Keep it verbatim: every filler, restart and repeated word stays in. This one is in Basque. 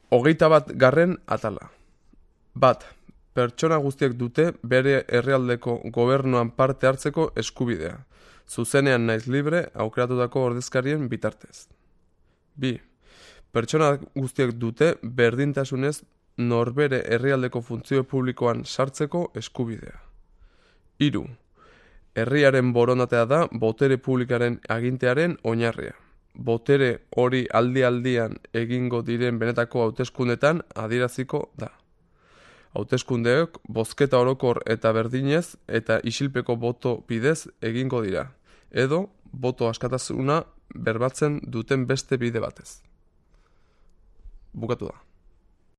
Hogeita bat garren atala. Bat, pertsona guztiek dute bere herrialdeko gobernuan parte hartzeko eskubidea, zuzenean naiz libre aukeratutako ordezkarien bitartez. Bi, pertsona guztiek dute berdintasunez norbere herrialdeko funtzio publikoan sartzeko eskubidea. Hiru, herriaren borondatea da botere publikaren agintearen oinarria. Botere hori aldi-aldian egingo diren benetako hauteskundetan adieraziko da. Hauteskundeok bozketa orokor eta berdinez eta isilpeko boto bidez egingo dira, edo boto askatasuna berbatzen duten beste bide batez. Bukatu da.